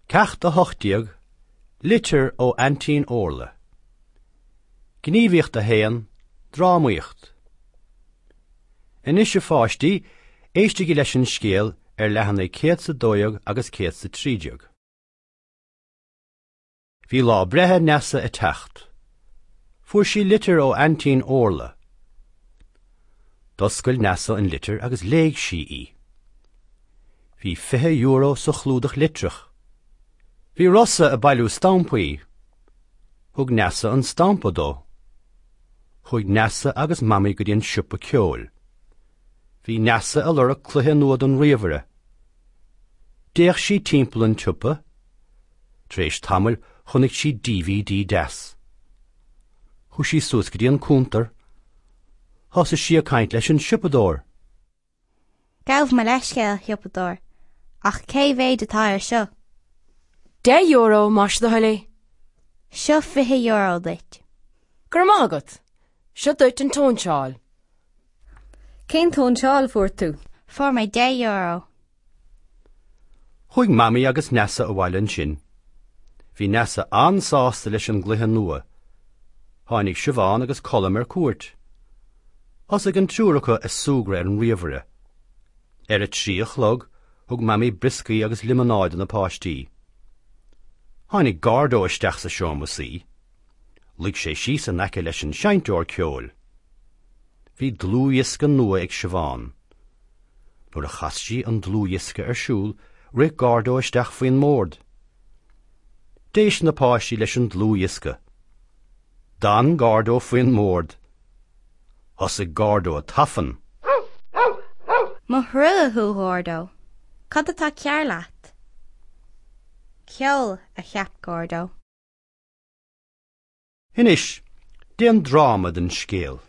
Ceacht 18, Litir ó Aintín Órla. Gníomhaíocht 1, Drámaíocht. Anois a pháistí, éistigí leis an scéal ar leathanaigh 112 agus 113. Bhí lá breithe Neasa ag teacht. Fuair sí litir ó Aintín Órla. D'oscail Neasa an litir agus léigh sí í. Bhí €20 sa chlúdach litreach. Bhí Rossa ag bailiú stampaí. Thug Neasa an stampa dó. Chuaigh Neasa agus Mamaí go dtí an siopa ceoil. Bhí Neasa ag lorg cluiche nua don ríomhaire. D'fhéach sí timpeall an tsiopa. Tar éis tamaill chonaic sí DVD deas. Chuaigh sí suas go dtí an cuntar. Thosaigh sí ag caint leis an siopadóir. Gabh mo leithscéal, a shiopadóir, ach cé mhéad atá air seo? €10, más do thoil é. Seo €20 duit. Go raibh maith agat. Seo duit an tsóinseáil. Cén tsóinseáil a fuair tú? Fuair mé €10. Chuaigh Mamaí agus Neasa abhaile ansin. Bhí Neasa an-sásta leis an gcluiche nua. Tháinig Siobhán agus Colm ar cuairt. Thosaigh an triúr acu ag súgradh ar an ríomhaire. Ar a trí a chlog, thug Mamaí brioscaí agus liomanáid do na páistí. Tháinig Gordo isteach sa seomra suí. Luigh sé síos in aice leis an seinnteoir ceoil. Bhí dlúthdhiosca nua ag Siobhán. Nuair a chas sí an dlúthdhiosca ar siúl, rith Gordo isteach faoin mbord. D'éist na páistí leis an dlúthdhiosca. D'fhan Gordo faoin mbord. Thosaigh Gordo ag tafann. Mo thrua thú, a Ghordo. Cad atá cearr leat? Ceol, a cheap Gordo. Anois, déan dráma den scéal.